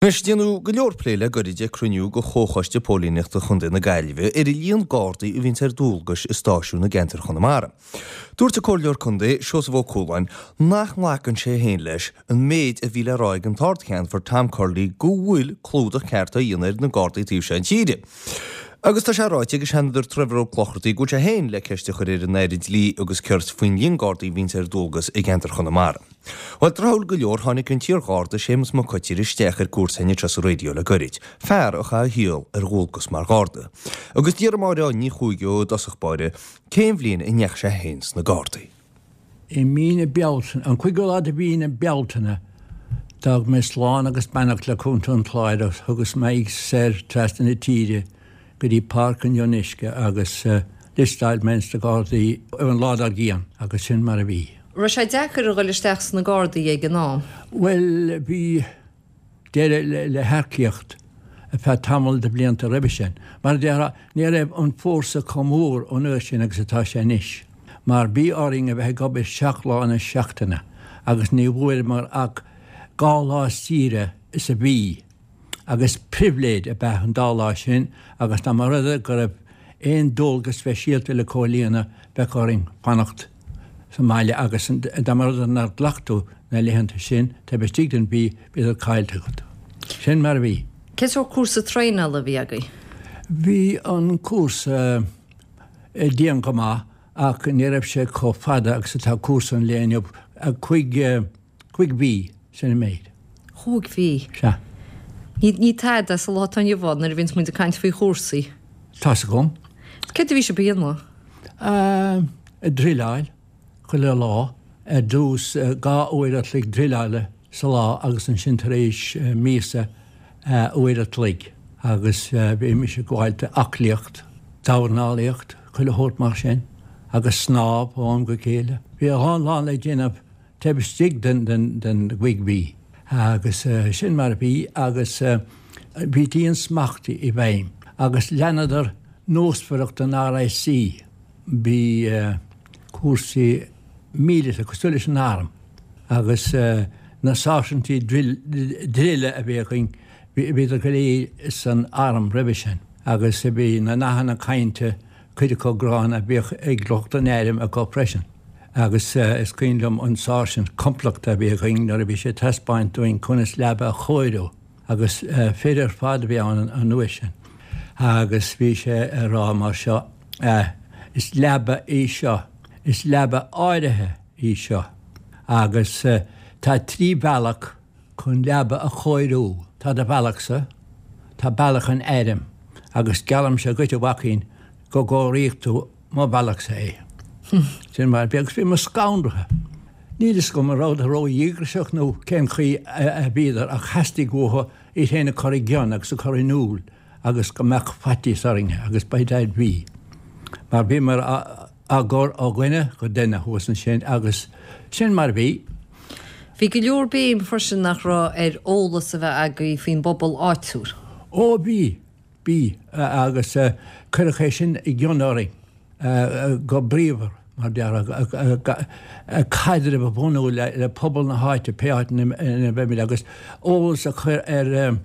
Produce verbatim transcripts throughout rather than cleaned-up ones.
Anois, déanadh go leor plé le goirid ag cruinniú de Chomhchoiste Póilíneachta Chontae na Gaillimhe ar an líon Gardaí a bhíonns ar dualgas i stáisiúin i gceantar Chonamara. Dúirt an Comhairleoir Contae, Seosamh Ó Cualáin, nach nglacann sé féin leis an méid a bhí le rá ag an tArd-Cheannfort Tom Curley go bhfuil clúdach ceart á dhéanamh ar na Gardaí taobh seo na tíre. Agus tá sé ráite ag an Seanadóir Trevor Ó Clochartaigh go bhfuil sé féin le ceist a chur ar an Aire Dlí agus Cirt faoin líon Gardaí a bhíonns ar dualgas i gceantar Chonamara. Bhuel, tráthúil go leor, tháinig an t-iar-Gharda Séamus Mac Coitir isteach ar cuairt chugainn anseo sa raidió le goirid, fear a chaith a shaol ar dhualgas mar Gharda. Agus d'iarr Máire Ní Chuaig i dtosach báire cén bhliain a ndeachaigh sé féin sna Gardaí. I mí na Bealtaine, an cúigiú lá de mhí na Bealtaine, d'fhág mé slán agus beannacht le Contae an Chláir agus thugas m'aghaidh soir trasna na tíre go dtí Páirc an Fhionnuisce agus liostáil mé ins na Gardaí an lá dár gcionn agus sin mar a bhí. Raibh sé deacair a dhul isteach sna Gardaí ag an am? Bhuel, bhí deireadh le hearcaíocht ar feadh tamall de bhlianta roimhe sin. Mar a déarfá, ní raibh an fórsa chomh mór an uair sin agus atá sé anois, mar bhí orainn a bheith ag obair seacht lá na seachtaine agus ní bhfuaireamar ach dhá lá saoire sa mhí. Agus pribhléid ab ea an dá lá sin agus dá mba rud é go raibh aon dualgas speisialta le comhlíonadh bheadh orainn fanacht sa mbaile agus dá mba rud é nár ghlac tú na laethanta sin taobh istigh den mhí bhíodar caillte agat. Sin mar a bhí. Cén sórt cúrsa traenála a bhí agaibh? Bhí an cúrsa dian go maith ach ní raibh sé chomh fada agus atá cúrsa an lae inniu, cúig cúig mhí sin an méid. Chúig mhí? Sea. Ní ní tada sa lá atá inniu ann nuair a bhíonns muid ag caint faoi chúrsaí. Tá's agam. Céard a bhí sibh a dhéanamh? Ag druileáil chuile lá, ar dtús dhá uair a chloig druileála sa lá agus ansin tar éis míosa uair a chloig agus bhímis ag gabháil d'aclaíocht, dornálaíocht, chuile shórt mar sin agus snámh ó am go chéile. Bhí a lán lán le déanamh taobh istigh den den gcúig mhí agus sin mar a bhí agus bhí diansmacht i bhfeidhm agus leanadar nósmhaireacht an RIC. Bhí cúrsaí míleata cosúil leis an arm agus na sáirsintí druile a bhí againn, bhíodar go léir san arm roimhe sin agus bhí na nathanna cainte, cuid acu gránna, bhíodh ag lucht an airm acu freisin. Agus is cuimhin liom an sáirsint complachta a bhí againn nuair a bhí sé ag taispeáint dúinn conas leaba a chóiriú agus fir ar fad a bhí ann an uair sin agus bhí sé ag rá mar seo, Is leaba í seo, is leaba áirithe í seo agus tá trí bhealach chun leaba a chóiriú, tá do bhealachsa, tá bealach an airm agus geallaimse dhuit a mhaicín go gcóireoidh tú mo bhealachsa é. Sin mar a bhí agus bhíomar scanraithe. Níl fhios agam an rabhadar ró-dhíograiseach nó cén chaoi a bhíodar ach theastaigh uathu iad féin a chur i gcion agus a chur in iúl agus go mbeadh faitíos orainn agus by dad bhí. Mar bhíomar á gcur ó dhuine go duine thuas ansin agus sin mar a bhí. Bhí go leor béim freisin nach raibh ar eolas a bheith agaibh faoin bpobal áitiúil. Ó bhí, bhí agus cuireadh é sin i gcion orainn go bríomhar, mar déarfá, caidreamh a bhunú le pobal na háite, pé áit ina mbeimid, agus eolas a chur ar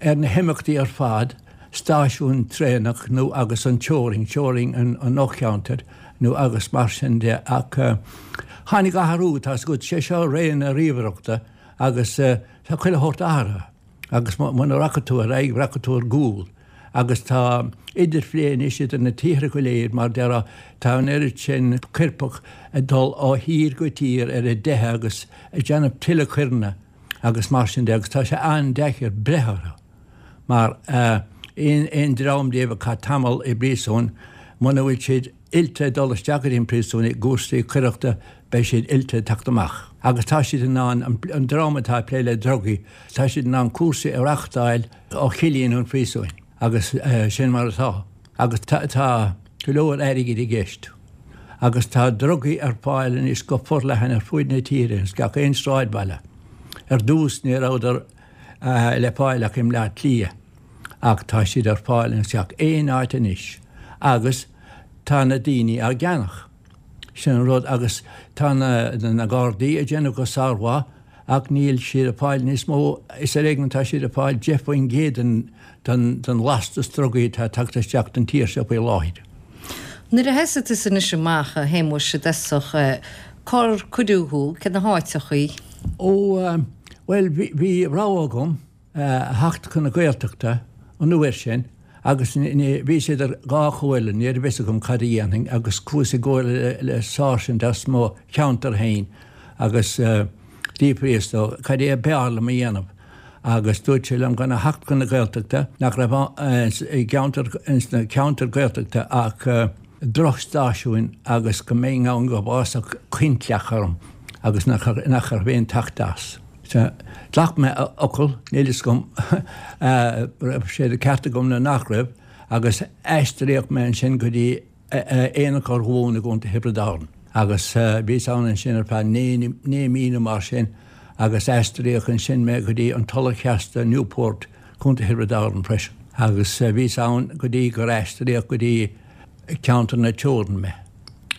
ar na himeachtaí ar fad, stáisiún traenach nó agus an teorainn, teorainn an fhocheantair nó agus mar sin de. Ach tháinig athrú, tá's agat, sé seo ré na ríomhaireachta agus tá chuile shórt athraithe agus muna rachaidh tú ar aghaidh, rachaidh tú ar gcúl. Agus tá idirphlé anois idir na tíortha go léir, mar déarfá, tá an oiread sin coirpeach ag dul ó thír go tír ar a dteitheadh agus ag déanamh tuilleadh coireanna agus mar sin de agus tá sé an-deacair breith orthu mar aon dream díobh a chaith tamall i bpríosún, muna bhfuil siad oilte ag dul isteach go dtí an príosún i gcúrsaí coireachta beidh siad oilte ag teacht amach. Agus tá siad in ann, an dream atá ag plé le drugaí, tá siad in ann cúrsaí a reachtáil ó chillín an phríosúin agus sin mar atá. Agus tá go leor airgid i gceist. Agus tá drugaí ar fáil anois go forleathan ar fuaid na tíre, ins gach aon sráidbhaile. Ar dtús ní rabhadar le fáil ach i mBleá Cliath ach tá siad ar fáil ins gach aon áit anois agus tá na daoine á gceannach. Sin an rud agus tá na Gardaí ag déanamh go sármhaith ach níl siad ag fáil níos mó, is ar éigean atá siad ag fáil deich faoin gcéad den den lastas drugaí atá ag teacht isteach don tír seo faoi láthair. Nuair a sheasaigh tusa anois amach, a Shéamuis, i dtosach, cár cuireadh thú, cé na háiteachaí? Ó, bhuel, bhí rogha agam a theacht chun na Gaeltachta an uair sin agus bhíos idir dhá chomhairle, ní raibh fhios agam cad a dhéanfainn agus chuas i gcomhairle le sáirsint as mo cheantar féin agus d'fhiafraíos dó cad é a b'fhearr liom a dhéanamh agus dúirt sé liom gan a theacht chun na Gaeltachta, nach raibh i gceantar, ins na ceantair Gaeltachta ach drochstáisiúin agus go mbeinn ann go bhfásfadh coincleach orm agus nach raibh aon teacht as. Ghlac mé a fhocal, níl fhios agam raibh sé de ceart agam nó nach raibh, agus aistríodh mé ansin go dtí Aonach Urmhumhan i gContae Thiobraid Árann. Agus bhíos ann ansin ar feadh naoi mí nó mar sin agus aistríodh ansin mé go dtí an Tulach Sheasta, Newport, Contae Thiobraid Árann freisin. Agus bhíos ann go dtí gur aistríodh go dtí ceantar na Teorann mé,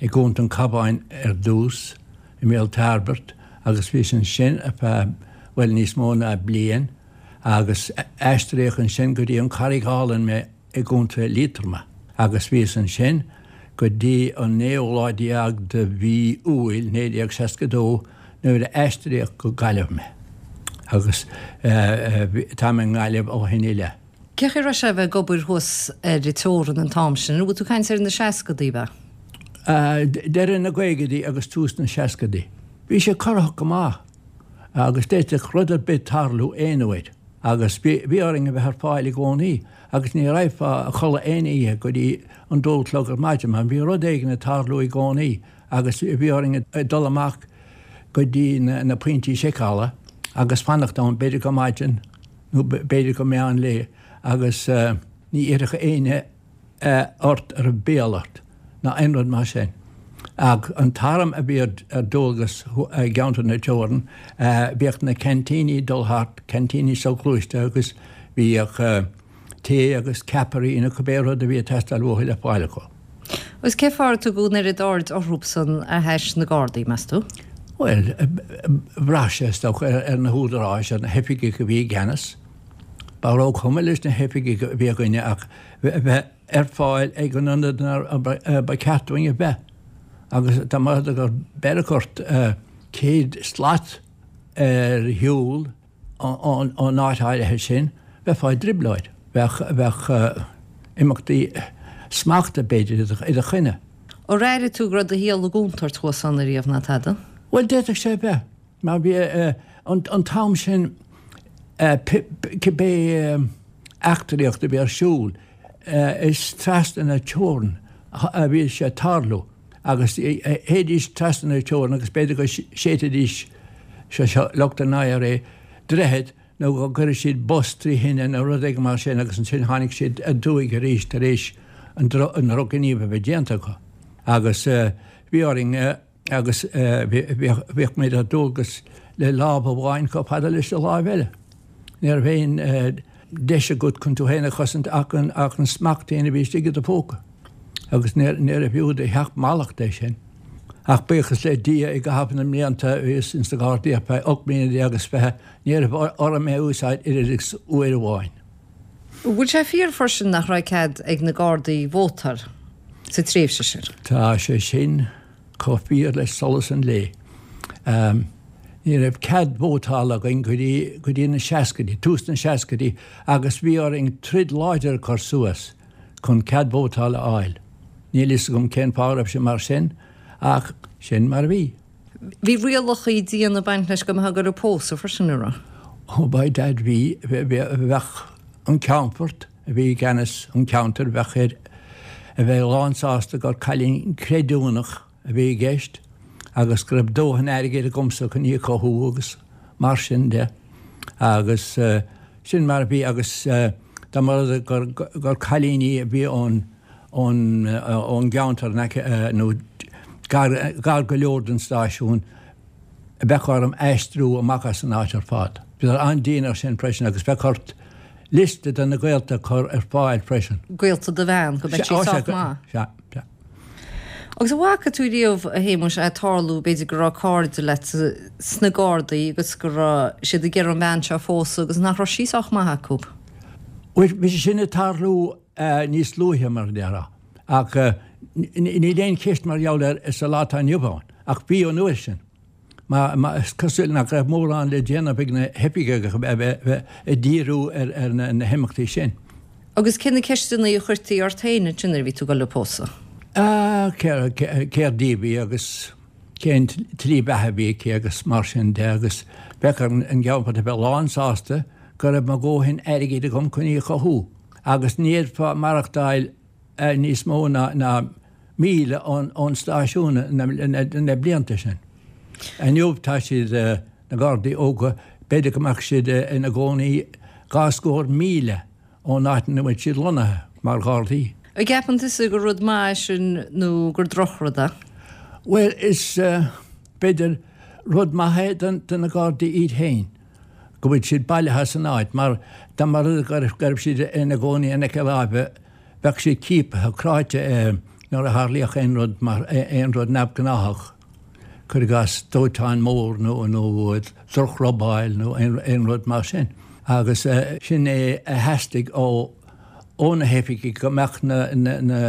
i gContae an Chabháin ar dtús, i mBéal Tairbeart, agus bhíos ansin ar feadh, bhuel, níos mó ná bliain, agus aistríodh ansin go dtí an Charraig Álainn mé i gContae Liatroma, agus bhíos ansin go dtí an naoú lá déag de mhí Iúil naoi déag seasca dó nuair a aistríodh go Gaillimh mé, agus táim i nGaillimh ó shin i leith. Cé chaoi a raibh sé a bheith ag obair thuas ar an teorainn an t-am sin? An bhfuil tú ag caint ar na seascadaí, ab ea? Deireadh na gcaogaidí agus tús na seascadaí. Bhí sé corraitheach go maith agus d'fhéadfadh rud ar bith tarlú aon uair agus bhí orainn a bheith ar fáil i gcónaí agus ní raghfá a chodladh aon oíche go dtí an dó a chlog ar maidin mar bhí rud éigin ag tarlú i gcónaí agus bhí orainn dul amach go dtí na pointí seiceála agus fanacht ann b'fhéidir go maidin nó b'fhéidir go meán lae agus ní iarrfadh éinne ort an raibh béal ort ná aon rud mar sin. Ach an t-arm a bhí ar dualgas i gceantar na teorann, bhíodh na ceaintíní ag dul thart, ceaintíní soghluaiste agus bhíodh tae agus ceapairí nó cibé rud a bhí ag teastáil uathu le fáil acu. Agus cén fáth ar tugadh an oiread aird orthubsan a thaise na Gardaí, meas tú? Bhuel, bhraith sé, is dócha, ar na húdaráis, ar na hoifigigh a bhí i gceannas. Ba róchuma leis na hoifigigh a bhí againne ach bheith ar fáil ag an ionad inar ba cheart dúinn a bheith. Agus dá mba rud é gur beireadh ort céad slat ar shiúl ón áit áirithe sin, bheifeá i dtrioblóid. Bheadh, bheadh imeachtaí smachta, b'fhéidir, i do choinne. Ar airigh tú go raibh do shaol i gcontúirt thuas ann ariamh ná tada? Bhuel, d'fhéadfadh sé a bheith, mar bhí an t-am sin cibé eachtraíocht a bhí ar siúl, is trasna na teorann a bhí sé ag tarlú agus théidís trasna na teorann agus b'fhéidir go séidfidís, sé seo lucht an IRA, droichead nó go gcuirfeadh siad bus trí thine nó rud éigin mar sin agus ansin tháinig siad aduaidh arís tar éis an drochghníomh a bheith déanta acu agus bhí orainn agus bhíodh muid ar dualgas le lámh amháin chomh fada leis an láimh eile. Ní raibh aon deis agat chun tú féin a chosaint ach an smacht féin a bhí istigh i do phóca agus níorbh fhiú do sheacht mallacht é sin. Ach buíochas le Dia i gcaitheamh na mblianta a bhíos ins na Gardaí ar feadh ocht mbliana déag is fiche, ní raibh orm é a úsáid oiread agus uair amháin. Bhfuil sé fíor freisin nach raibh cead ag na Gardaí vótáil sa tréimhse sin? Tá sé sin chomh fíor le solas an lae. Ní raibh cead vótála againn go dtí go dtí na seascaidí, tús na seascaidí, agus bhí orainn troid láidir a chur suas chun cead vótála a fháil. Níl fhios agam cén fáth a raibh sé mar sin ach sin mar a bhí. Bhí rialacha diana ag baint leis go mbeifeá ag goil ag pósadh freisin, an raibh? Ó by dad bhí, bheadh an ceannfort a bhí i gceannas an cheantair, bheadh air a bheith lánsásta gur cailín creidiúnach a bhí i gceist agus go raibh dóthain airgid agamsa chun í a chothú agus mar sin de. Agus sin mar a bhí agus dá mba rud é gur gur cailíní a bhí ón ón ón gceantar in aice nó gar gar go leor don stáisiún, bheadh orm aistriú amach as an áit ar fad. Bhíodar an-dian air sin freisin agus bheadh ort liosta de na gaolta a chur ar fáil freisin. Gaolta do bhean, go mbeadh sí sách maith. Sea, sea. Agus an bhfaca tú riamh, a Shéamuis, é ag tarlú, b'fhéidir go raibh cairde leat sna Gardaí agus go raibh siad ag iarraidh an bhean seo a phósadh agus nach raibh sí sách maith acu? Bhuel, bhí sé sin ag tarlú níos luaithe, mar a déarfá, ach níl aon cheist mar gheall air sa lá atá inniu ann, ach bhí an uair sin. Mar is cosúil nach raibh mórán le déanamh ag na hoifigigh ach a bheith ag díriú ar na himeachtaí sin. Agus cé na ceisteanna a chuirtí ort féin ansin nuair a bhí tú ag dul a pósadh? Céard í a bhí agus cén tslí bheatha a bhí aici agus mar sin de agus bheadh ar an gceannfort a bheith lánsásta go raibh mo dhóthain airgid agam chun í a chothú agus ní fhéadfá maireachtáil níos mó ná míle ón stáisiún na blianta sin. Inniu tá siad, na Gardaí óga, b'fhéidir go mbeadh siad ina gcónaí dhá scór míle ón áit ina bhfuil siad lonnaithe mar Ghardaí. An gceapann tusa gur rud maith é sin nó gur drochrud é? Bhuel, is b'fhéidir rud maith é do na Gardaí iad féin go bhfuil siad bailithe san áit mar dá mba rud go raibh siad ina gcónaí in aice láimhe bheadh siad ciaptha, cráite nuair a tharlaíodh aon rud mar aon rud neamhghnáthach, cuir i gcás dóiteán mór nó nó drochrobáil nó aon rud mar sin. Agus sin é a theastaigh ó ó na hoifigigh go mbeadh na na na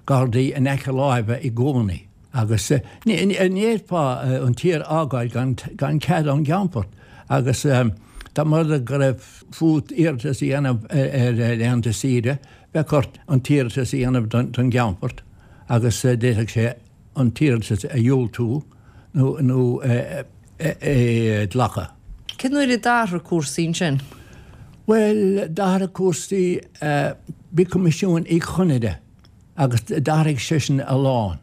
Gardaí in aice láimhe i gcónaí. Agus ní fhéadfá an tír a fhágáil gan gan cead ón gCeannfort. Agus dá mba rud é go raibh fút iarratas a dhéanamh ar laethanta saoire, bheadh ort an t-iarratas a dhéanamh don gCeannfort agus d'fhéadfadh sé an t-iarratas a dhiúltú nó nó é a ghlacadh. Cén uair a d'athraigh cúrsaí ansin? Bhuel, d'athraigh cúrsaí, bhí Coimisiún Uí Chonaire agus d'athraigh seisean a lán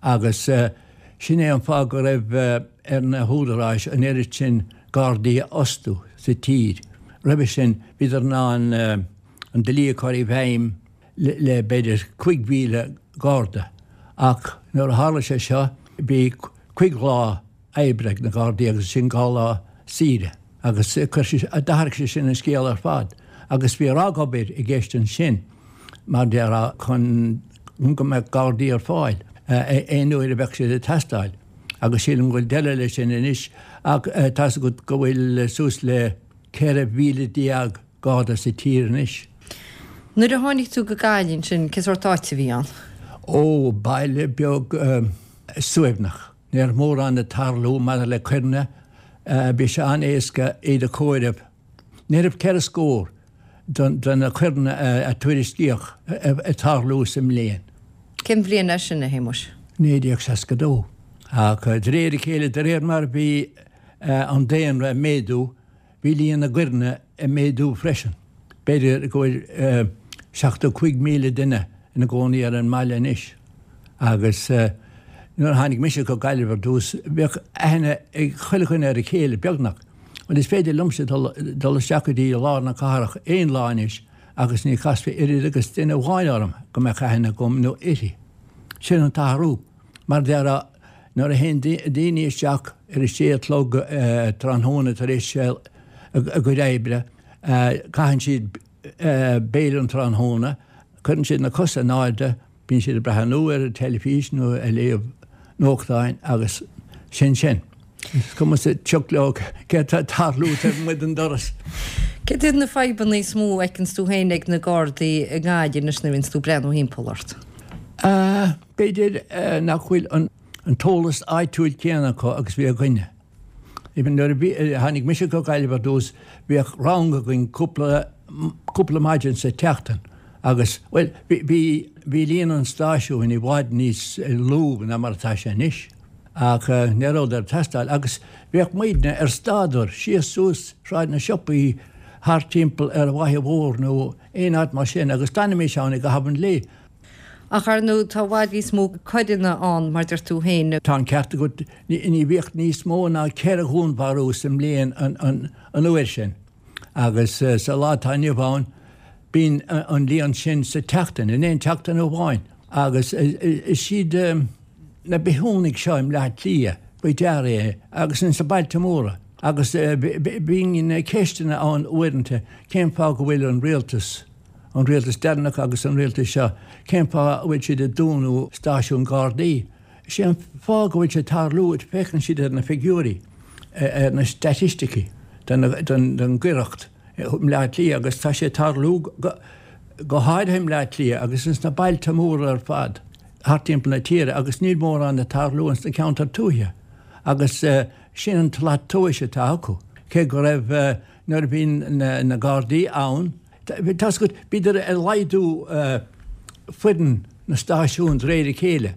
agus sin é an fáth go raibh ar na húdaráis an oiread sin Gardaí a fhostú sa tír. Roimhe sin bhíodar in ann an dlí a chur i bhfeidhm le b'fhéidir cúig mhíle Garda ach nuair a tharla sé seo bhí cúig lá oibre ag na Gardaí agus ansin dhá lá saoire agus d'athraigh sé sin an scéal ar fad agus bhí ragobair i gceist ansin mar a déarfá chun go mbeadh Gardaí ar fáil aon uair a bheadh siad ag teastáil agus sílim go bhfuil deireadh leis sin anois ach tá's agat go bhfuil suas le ceithre mhíle déag Garda sa tír anois. Nuair a tháinig tú go Gaillimh ansin, cén sórt áit a bhí ann? Ó, baile beag suaimhneach. Ní raibh mórán ag tarlú maidir le coireanna, bhí sé an-éasca iad a chomhaireamh. Ní raibh ceithre scór de na coireanna a tuairiscíodh ag tarlú sa mbliain. Cén bhliain é sin, a Shéamuis? naoi déag seasca dó. Ach de réir a chéile, de réir mar a bhí an daonra ag méadú, bhí líon na gcoireanna ag méadú freisin. B'fhéidir go bhfuil seachtó cúig míle duine ina gcónaí ar an mbaile anois agus nuair a tháinig mise go Gaillimh ar dtús, bheadh aithne ag chuile dhuine ar a chéile, beagnach. Bhuel, is féidir liomsa dul isteach go dtí lár na cathrach aon lá anois agus ní chasfaí oiread agus duine amháin orm go mbeadh aithne agam nó uirthi. Sin an t-athrú. Mar a déarfá, nuair a théann daoine isteach ar a sé a chlog tráthnóna tar éis a gcuid oibre, caitheann siad béile an tráthnóna, cuireann siad na cosa in airde, bíonn siad ag breathnú ar an teilifís nó ag léamh nuachtáin agus sin sin. Is cuma sa tsioc leo céard atá ag tarlú taobh amuigh den doras. Céard iad na fadhbanna is mó a fheiceanns tú féin ag na Gardaí i nGaillimh anois nuair a bhíonns tú ag breathnú thimpeall ort? B'fhéidir nach bhfuil an t-eolas áitiúil céanna acu agus bhí againne. Even nuair a bhí, tháinig mise go Gaillimh ar dtús, bhíodh rang againn cúpla, cúpla maidin sa tseachtain agus, bhuel, bhí, bhí, bhí líon an stáisiúin i bhfad níos lú ná mar atá sé anois ach ní rabhadar ag teastáil agus bhíodh muidne ar staidear síos suas Sráid na Siopaí thart timpeall ar an bhFaiche Mhór nó aon áit mar sin agus d'fhanaimis ann i gcaitheamh an lae. Ach ar ndóigh tá i bhfad níos mó coireanna ann, mar deir tú féin. Tá an ceart agat, ní bhíodh níos mó ná ceithre dhúnmharú sa mbliain an uair sin agus sa lá atá inniu ann bíonn an líon sin sa tseachtain, in aon tseachtain amháin. Agus is iad na bithiúnaigh seo i mBleá Cliath faoi deara é agus ins na bailte móra. Agus bíonn ceisteanna ann uaireanta cén fáth go bhfuil an rialtas, an rialtas deireanach agus an rialtas seo, cén fáth a bhfuil siad ag dúnadh stáisiún Gardaí? Is é an fáth go bhfuil sé ag tarlú, féachann siad ar na figiúirí, ar na staitisticí don gcoireacht i mBleá Cliath agus tá sé ag tarlú go háirithe i mBleá Cliath agus ins na bailte móra ar fad thart timpeall na tíre agus níl mórán ag tarlú ins na ceantair tuaithe agus sin an tslat tomhais atá acu. Cé go raibh nuair a bhí na Gardaí ann, tá's agat, bhíodar ag laghdú foireann na stáisiún de réir a chéile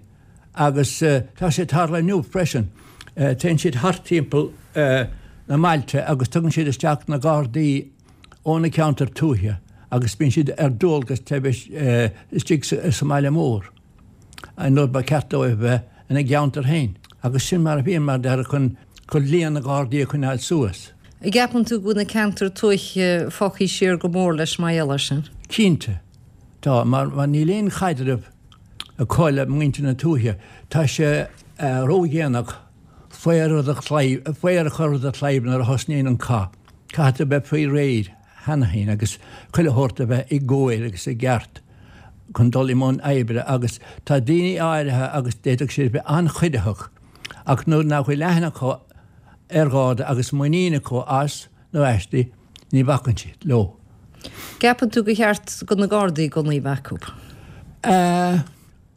agus tá sé ag tarlú inniu freisin. Téann siad thart timpeall na mbailte agus tugann siad isteach na Gardaí ó na ceantair tuaithe agus bíonn siad ar dualgas taobh istigh sa mbaile mór nuair ba cheart dóibh bheith ina gceantar féin. Agus sin mar a bhíonn, mar deir, chun líon na nGardaí a choinneáil suas. An gceapann tú go bhfuil na ceantair tuaithe fágtha siar go mór leis mar gheall air sin? Cinnte, tá, mar níl aon chaidreamh acu le muintir na tuaithe. Tá sé ródhéanach faor a chur ar do chlaíomh nuair a thosnaíonn an cath. Caithfidh tú bheith faoi réir cheana féin agus chuile shórt a bheith i gcóir agus i gceart chun dul i mbun oibre agus tá daoine áirithe agus d'fhéadfadh siad bheith an-chuiditheach ach nuair nach bhfuil aithne acu ar Gharda agus muinín acu as nó aisti, ní bhacann siad leo. Gceapann tú gur cheart do na Gardaí gunnaí a bheith acu?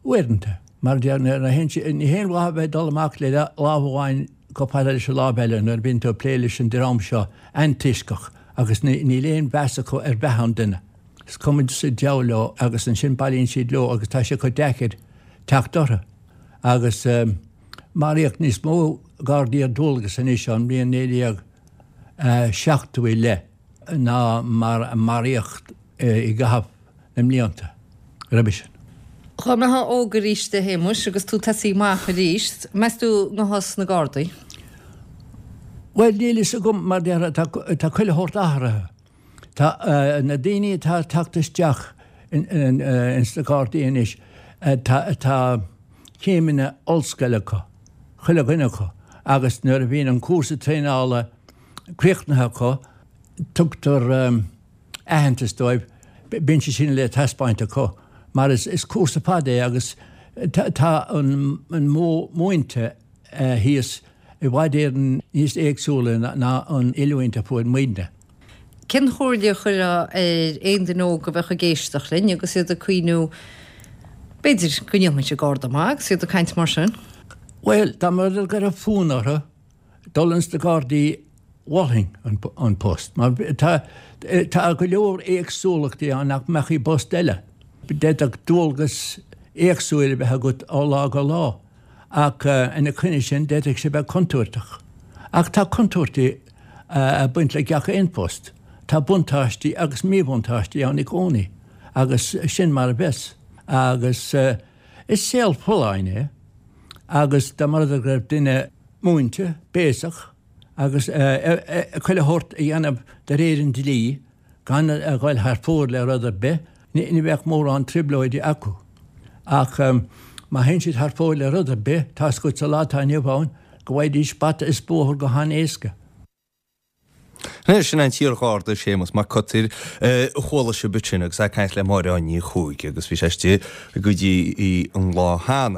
Uaireanta. Mar ní haon mhaith a bheith ag dul amach le lámh amháin chomh fada leis an lámh eile nuair a bhíonn tú ag plé leis an dream seo antoisceach agus níl aon mheas acu ar bheatha an duine. Is cuma sa diabhal leo agus ansin bailíonn siad leo agus tá sé chomh deacair teacht orthu. Agus maraíodh níos mó Gardaí ar dualgas anois ón mbliain naoi déag seachtó i leith ná mar a maraíodh i gcaitheamh na mblianta roimhe sin. Dá mbeifeá óg arís a Shéamuis agus tú tosaí amach arís, meas tú an ngabhfá sna Gardaí? Bhuel, níl fhios agam mar déarfá tá chuile shórt athraithe. Tá na daoine atá ag teacht isteach ins na Gardaí anois, tá céimeanna ollscoile acu, chuile dhuine acu, agus nuair a bhíonn an cúrsa traenála críochnaithe acu, tugtar aitheantas dóibh, bíonn sé sin le taispeáint acu, mar is cúrsa fada é agus tá an modh múinte thíos i bhfad Éireann níos éagsúla ná an oiliúint a fuair muidne. Cén chomhairle a chuirfeá ar aon duine óg a bheadh ag éisteacht linn agus iad ag cuimhniú, b'fhéidir, go ndéanfainnse Garda maith agus iad ag caint mar sin? Bhuel, dá mba rud é go raibh fonn orthu dul ins na Gardaí mholfainn an post, mar tá tá go leor éagsúlachtaí ann nach mbeadh i bpost eile. D'fhéadfadh dualgas éagsúil a bheith agat ó lá go lá. Ach ina choinne sin, d'fhéadfadh sé bheith contúirteach. Ach tá contúirtí ag baint le gach aon phost. Tá buntáistí agus míbhuntáistí ann i gcónaí, agus sin mar a bheas. Agus is saol folláin é, agus dá mba rud é go raibh duine múinte, béasach, agus chuile shórt a dhéanamh de réir an dlí, gan a dhul thar fóir le rud ar bith, ní bheadh mórán trioblóidí acu. Ach má théann siad thar fóir le rud ar bith, tá's agat sa lá atá inniu ann go bhfaighidís bata is bóthar go han-éasca. Anois, sin an t-iar-Gharda Séamus Mac Coitir a chuala sibh ansin agus é ag caint le Máire Áine Ní Chuaig agus bhí sé istigh go dtí an lá cheana.